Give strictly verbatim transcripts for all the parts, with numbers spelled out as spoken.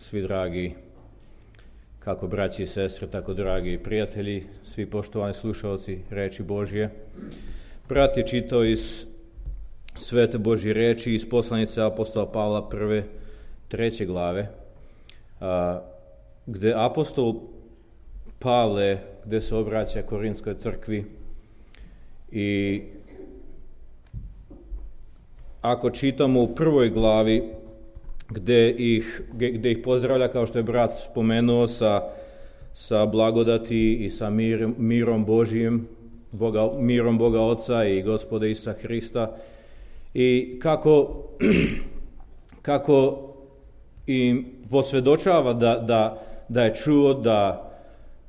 svi dragi, kako braći i sestre, tako dragi prijatelji, svi poštovani slušalci reči Božje. Brat je čitao iz Svete Božje reči, iz poslanice apostola Pavla prve, treće glave, a, gde apostol Pavle, gde se obraća Korinskoj crkvi i ako čitamo u prvoj glavi, gde ih, gde ih pozdravlja, kao što je brat spomenuo, sa, sa blagodati i sa mir, mirom Božijim, Boga, mirom Boga Oca i Gospoda Isusa Hrista, i kako, kako im posvjedočava da, da, da je čuo da,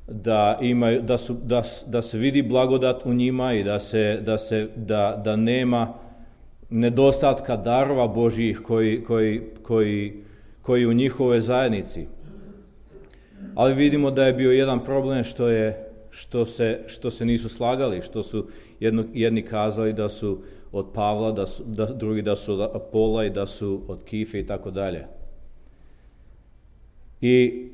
da, imaju, da, su, da, da se vidi blagodat u njima i da, se, da, se, da, da nema nedostatka darova Božjih koji, koji, koji, koji u njihovoj zajednici. Ali vidimo da je bio jedan problem što, je, što, se, što se nisu slagali, što su jedno, jedni kazali da su od Pavla, da su, da, drugi da su od Apola i da su od Kife i tako dalje. I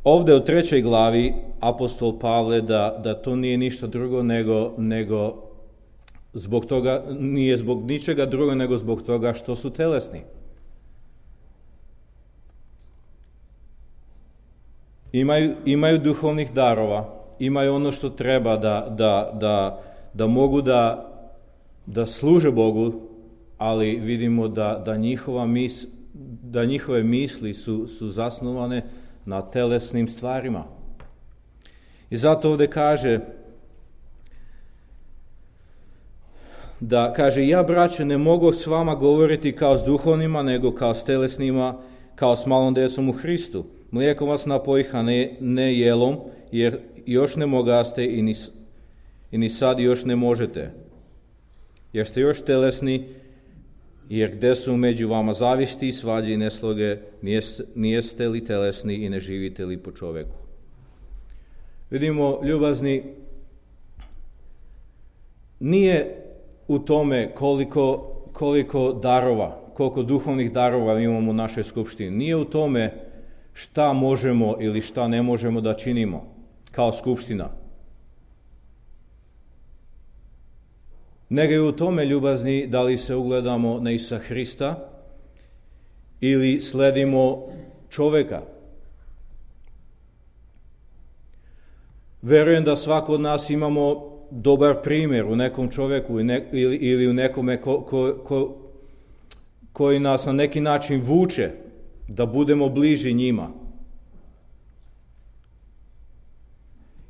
ovdje u trećoj glavi apostol Pavle da, da to nije ništa drugo nego, nego zbog toga, nije zbog ničega drugo nego zbog toga što su telesni. Imaju, imaju duhovnih darova, imaju ono što treba da, da, da, da mogu da, da služe Bogu, ali vidimo da, da, njihova mis, da njihove misli su, su zasnovane na telesnim stvarima. I zato ovdje kaže da, kaže, ja, braćo, ne mogu s vama govoriti kao s duhovnima, nego kao s telesnima, kao s malom djecom u Hristu. Mlijekom vas napojih, a ne, ne jelom, jer još ne mogaste i ni, i ni sad još ne možete. Jer ste još telesni, jer gdje su među vama zavisti, svađe i nesloge, nijeste, nijeste li telesni i ne živite li po čovjeku. Vidimo, ljubazni, nije u tome koliko, koliko darova, koliko duhovnih darova imamo u našoj skupštini. Nije u tome šta možemo ili šta ne možemo da činimo kao skupština. Nego je u tome, ljubazni, da li se ugledamo na Isusa Hrista ili sledimo čovjeka. Verujem da svako od nas imamo dobar primjer u nekom čovjeku ili, ili u nekome ko, ko, ko, koji nas na neki način vuče da budemo bliži njima.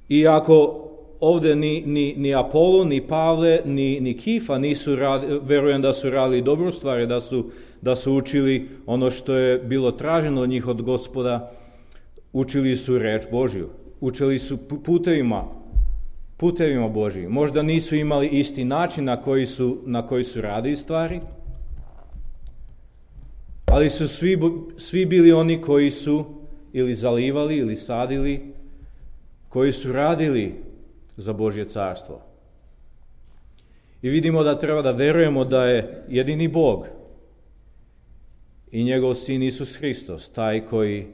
I ako ovdje ni, ni, ni Apolo, ni Pavle, ni, ni Kifa nisu radili, verujem da su radili dobru stvar, da su, da su učili ono što je bilo traženo od njih od Gospoda, učili su reč Božju, učili su putevima, putevima Božjim. Možda nisu imali isti način na koji su, na koji su radili stvari, ali su svi, svi bili oni koji su ili zalivali ili sadili, koji su radili za Božje carstvo. I vidimo da treba da verujemo da je jedini Bog i njegov sin Isus Hristos taj koji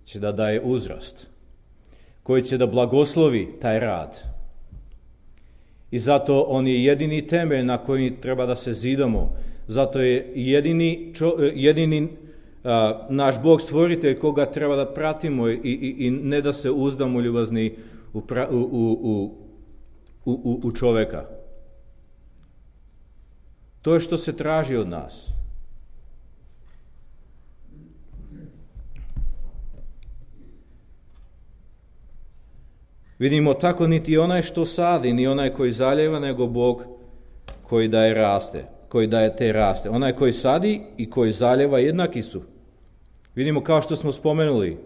će da daje uzrast, koji će da blagoslovi taj rad. I zato on je jedini temelj na koji treba da se zidamo. Zato je jedini, čo, jedini a, naš Bog stvoritelj koga treba da pratimo i, i, i ne da se uzdamo, ljubazni, u, pra, u, u, u, u, u čovjeka. To je što se traži od nas. Vidimo, tako niti onaj što sadi, ni onaj koji zaljeva, nego Bog koji daje raste, koji daje te raste. Onaj koji sadi i koji zaljeva jednaki su. Vidimo, kao što smo spomenuli,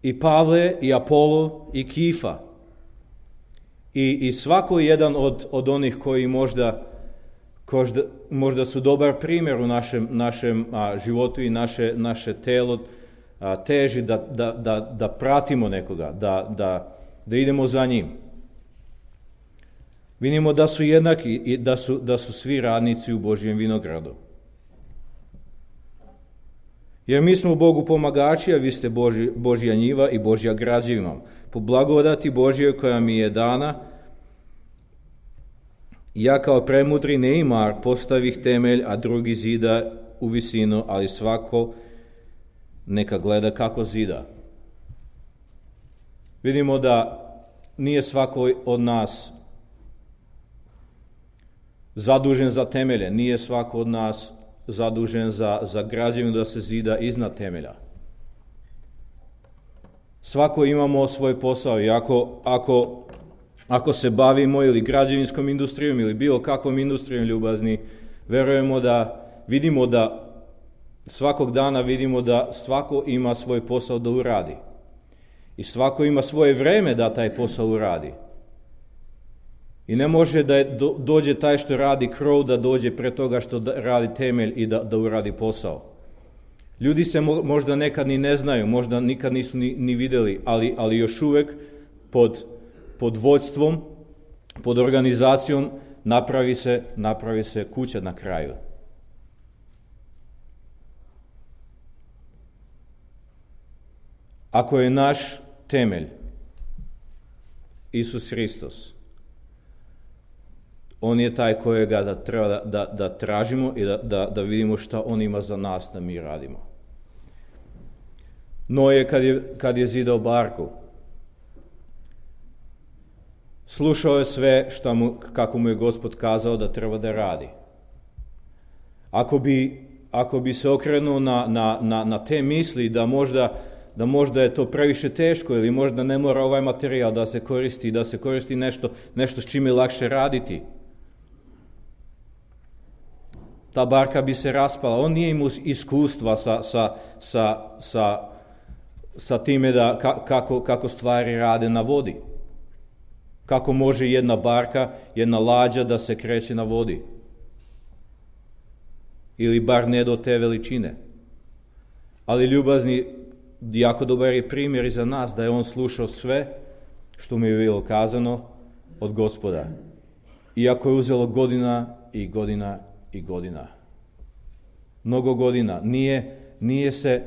i Pavle, i Apolo, i Kifa. I, i svako jedan od, od onih koji možda, možda, možda su dobar primjer u našem, našem a, životu i naše, naše telo a, teži da, da, da, da pratimo nekoga, da, da, da idemo za njim. Vidimo da su jednaki i da su, da su svi radnici u Božjem vinogradu. Jer mi smo Bogu pomagači, a vi ste Boži, Božja njiva i Božja građevina. Po blagodati Božjoj koja mi je dana, ja kao premudri neimar postavih temelj, a drugi zida u visinu, ali svako neka gleda kako zida. Vidimo da nije svako od nas zadužen za temelje, nije svako od nas zadužen za, za građevinu da se zida iznad temelja. Svako imamo svoj posao i ako, ako, ako se bavimo ili građevinskom industrijom ili bilo kakvom industrijom, ljubazni, verujemo da vidimo da svakog dana vidimo da svako ima svoj posao da uradi. I svako ima svoje vreme da taj posao uradi. I ne može da do, dođe taj što radi krov da dođe pre toga što da radi temelj i da, da uradi posao. Ljudi se mo, možda nekad ni ne znaju, možda nikad nisu ni, ni videli, ali, ali još uvek pod, pod vođstvom, pod organizacijom napravi se, napravi se kuća na kraju. Ako je naš temelj Isus Hristos, on je taj kojega da treba da, da, da tražimo i da, da, da vidimo šta on ima za nas da mi radimo. Noje kad je, kad je zidao barku, slušao je sve šta mu, kako mu je Gospod kazao da treba da radi. Ako bi, ako bi se okrenuo na, na, na, na te misli da možda da možda je to previše teško ili možda ne mora ovaj materijal da se koristi, da se koristi nešto, nešto s čime je lakše raditi. Ta barka bi se raspala. On nije imao iskustva sa, sa, sa, sa, sa time da, kako, kako stvari rade na vodi. Kako može jedna barka, jedna lađa da se kreće na vodi. Ili bar ne do te veličine. Ali ljubazni, jako dobar je primjer i za nas da je on slušao sve što mu je bilo kazano od Gospoda. Iako je uzelo godina i godina i godina. Mnogo godina. Nije, nije se,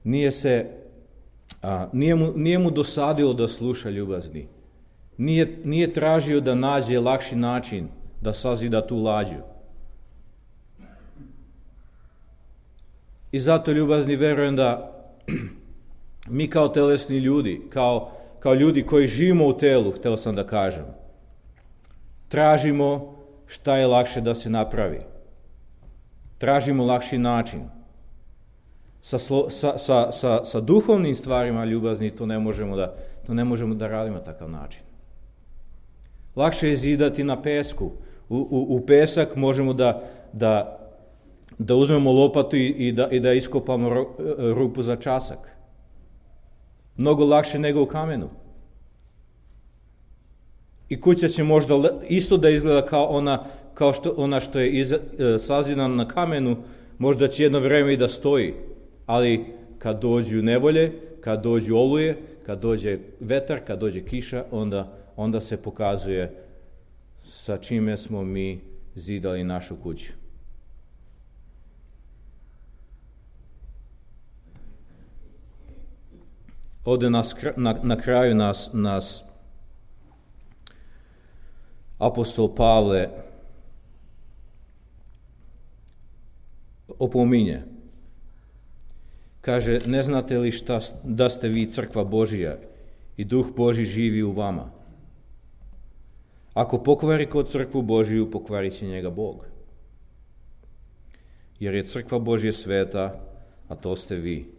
nije se, a, nije mu, nije mu dosadilo da sluša, ljubazni. Nije, nije tražio da nađe lakši način da sazida tu lađu. I zato, ljubazni, verujem da mi kao telesni ljudi, kao, kao ljudi koji živimo u telu, htio sam da kažem, tražimo šta je lakše da se napravi. Tražimo lakši način. Sa, sa, sa, sa, sa duhovnim stvarima, ljubazni, to ne možemo da, to ne možemo da radimo na takav način. Lakše je zidati na pesku. U, u, u pesak možemo da, da, da uzmemo lopatu i, i, da, i da iskopamo rupu za časak. Mnogo lakše nego u kamenu. I kuća će možda isto da izgleda kao ona, kao što, ona što je iz, sazidana na kamenu, možda će jedno vreme i da stoji. Ali kad dođu nevolje, kad dođu oluje, kad dođe vetar, kad dođe kiša, onda, onda se pokazuje sa čime smo mi zidali našu kuću. Ovdje nas, na, na kraju nas, nas apostol Pavle opominje. Kaže, ne znate li šta, da ste vi crkva Božija i Duh Božji živi u vama? Ako pokvari kod crkvu Božiju, pokvarit će njega Bog. Jer je crkva Božja sveta, a to ste vi.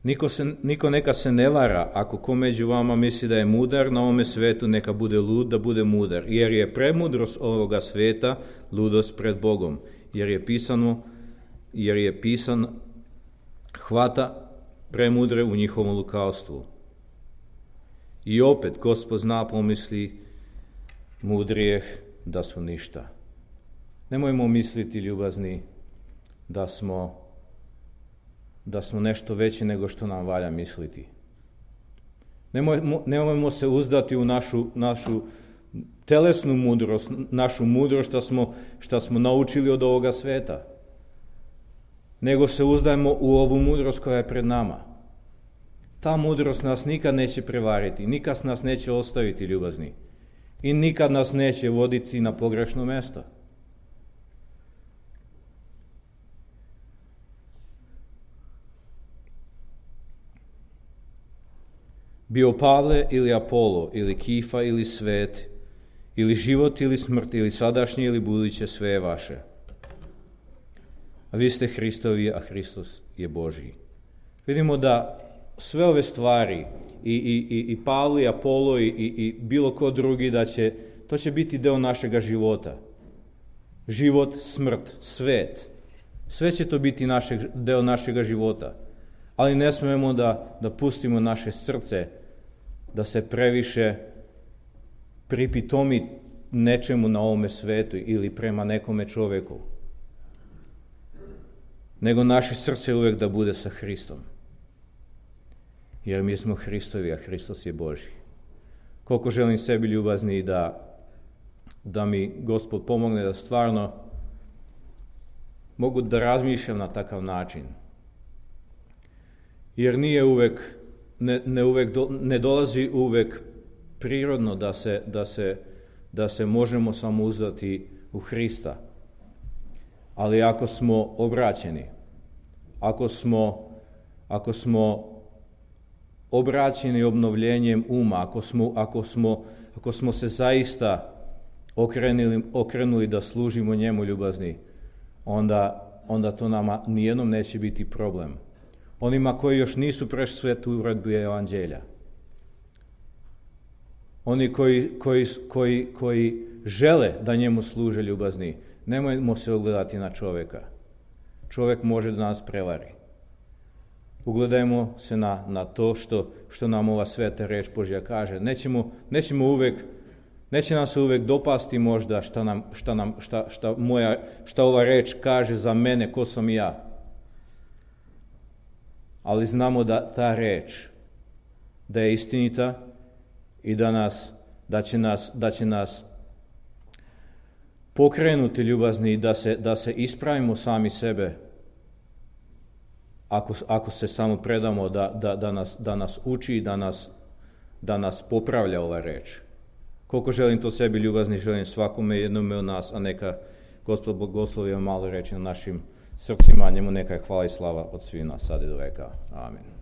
Niko, se, niko neka se ne vara, ako ko među vama misli da je mudar na ovome svetu, neka bude lud da bude mudar, jer je premudrost ovoga sveta ludost pred Bogom, jer je pisano, jer je pisan hvata premudre u njihovom lukavstvu. I opet, Gospod zna pomisli mudrijeh da su ništa. Nemojmo misliti, ljubazni, da smo da smo nešto veće nego što nam valja misliti. Nemojmo, nemojmo se uzdati u našu, našu telesnu mudrost, našu mudrost što smo, što smo naučili od ovoga sveta. nego se uzdajmo u ovu mudrost koja je pred nama. Ta mudrost nas nikad neće prevariti, nikad nas neće ostaviti, ljubazni, i nikad nas neće voditi na pogrešno mjesto. Bio Pavle ili Apolo, ili Kifa ili Svet, ili život ili smrt, ili sadašnje ili buduće, sve je vaše. A vi ste Hristovi, a Hristos je Božji. Vidimo da sve ove stvari, i, i, i, i Pavle, i Apolo, i, i, i bilo ko drugi, da će, to će biti deo našega života. Život, smrt, svet. Sve će to biti našeg, deo našega života. Ali ne smemo da, da pustimo naše srce da se previše pripitomi nečemu na ovome svetu ili prema nekome čoveku. Nego naše srce uvek da bude sa Hristom. Jer mi smo Hristovi, a Hristos je Božji. Koliko želim sebi, ljubazni, da, da mi Gospod pomogne da stvarno mogu da razmišljam na takav način. Jer nije uvek, ne, ne, uvek do, ne dolazi uvek prirodno da se, da se, da se možemo samo uzdati u Hrista. Ali ako smo obraćeni, ako smo, ako smo obraćeni obnovljenjem uma, ako smo, ako smo, ako smo se zaista okrenuli, okrenuli da služimo njemu, ljubazni, onda, onda to nama nijednom neće biti problem. Onima koji još nisu prešli svetu uredbu evanđelja. Oni koji, koji, koji, koji žele da njemu služe, ljubazni, nemojmo se ugledati na čovjeka. Čovjek može da nas prevari. Ugledajmo se na, na to što, što nam ova sveta reč Božja kaže. Nećemo, nećemo uvek, neće nam se uvek dopasti možda šta, nam, šta, nam, šta, šta, moja, šta ova reč kaže za mene, ko sam ja. Ali znamo da ta reč, da je istinita i da, nas, da, će, nas, da će nas pokrenuti, ljubazni, da se, da se ispravimo sami sebe, ako, ako se samo predamo da, da, da, nas, da nas uči i da nas, da nas popravlja ova reč. Koliko želim to sebi, ljubazni, želim svakome jednome od nas, a neka Gospod blagoslovi malo reći na našim srcima, njemu neka je hvala i slava od svih nas sad i do veka. Amen.